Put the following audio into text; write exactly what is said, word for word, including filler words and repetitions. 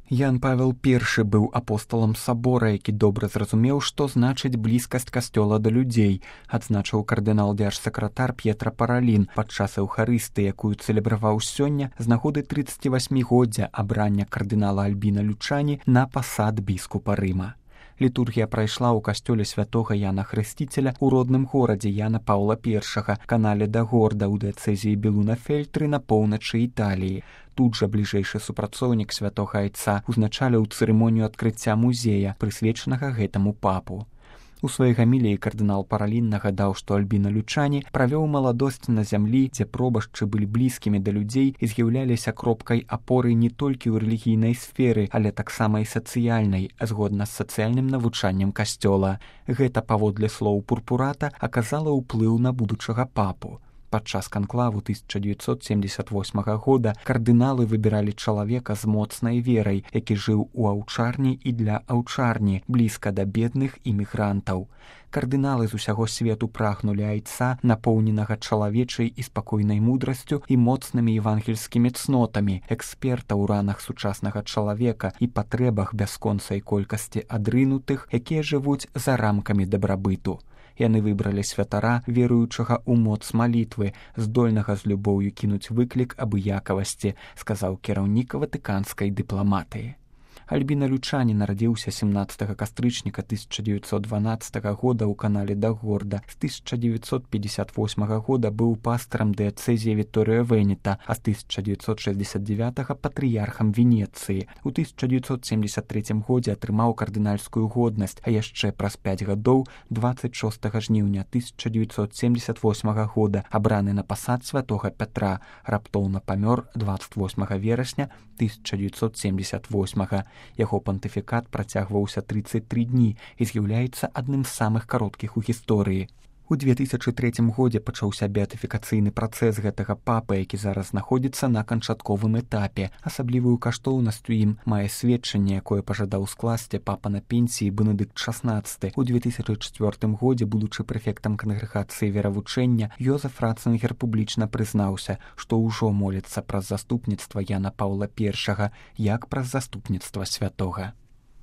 Ян Павел першы быў апосталам сабора, які добра зразумеў, што значыць блізкасць касцёла да людзей, адзначыў кардынал-дзяржсакратар П'етра Паралін падчас эўхарыстыі, якую цэлебраваў сёння з нагоды трыццацівасьмігоддзя абрання кардынала Альбіна Лючані на пасад біскупа Рыма. Літургія прайшла ў касцёле святога Яна Хрысціцеля ў родным горадзе Яна Паўла першага, канале да Горда ў дыяцэзіі Белуна-Фельтры на поўначы Італіі. Тут жа бліжэйшы супрацоўнік святога айца узначаліў цырымонію адкрыцця музея, прысвечанага гэтаму папу. У сваёй гаміліі кардынал Паралін нагадаў, што Альбіна Лючані правёў маладосць на зямлі, дзе пробашчы былі блізкімі да людзей і з'яўляліся кропкай апоры не толькі ў рэлігійнай сферы, але таксама і сацыяльнай, згодна з сацыяльным навучаннем касцёла. Гэта, паводле слоў Пурпурата, аказала ўплыў на будучага папу. Падчас канклаву тысяча дзевяцьсот семьдесят восьмага года кардыналы выбіралі чалавека з моцнай верай, які жыў у аўчарні і для аўчарні, блізка да бедных імігрантаў. Кардыналы з усяго свету прагнулі айца, напоўненага чалавечай і спакойнай мудрасцю і моцнымі евангельскімі цнотамі, эксперта ў ранах сучаснага чалавека і патрэбах бясконцай колькасці адрынутых, якія жывуць за рамкамі дабрабыту. Яны выбралі святара, веруючага ў моц малітвы, здольнага з любоўю кінуць выклік абыякавасці, сказаў кіраўнік ватыканскай дыпламатыі. Альбіна Лючані нарадзіўся сямнаццатага кастрычніка тысяча дзевяцьсот дванаццатага года ў канале да Горда. З тысяча дзевяцьсот пятьдесят восьмага года быў пастарам дыяцэзіі Вітторіо Венета, а з тысяча дзевяцьсот шэсцьдзесят дзевятага патрыярхам Венецыі. У тысяча дзевяцьсот семьдесят трэцім годзе атрымаў кардынальскую годнасць, а яшчэ праз пяць гадоў, дваццаць шостага жніўня тысяча дзевяцьсот семьдесят восьмага года, абраны на пасад святога Пятра, раптоўна памёр дваццаць восьмага верасня тысяча дзевяцьсот семьдесят восьмага. Яго пантыфікат працягваўся трыццаць тры дні і з'яўляецца адным з самых кароткіх у гісторыі. У две тысячы трэцім годзе пачаўся беатыфікацыйны працэс гэтага папы, які зараз знаходзіцца на канчатковым этапе. Асаблівую каштоўнасць у ім мае сведчанне, якое пажадаў скласці папа на пенсіі Бенедыкт шаснаццаты. У две тысячы чвёртым годзе, будучы прэфектам кангрэгацыі веравучэння, Йозеф Ратцынгер публічна прызнаўся, што ўжо моліцца праз заступніцтва Яна Паўла першага, як праз заступніцтва святога.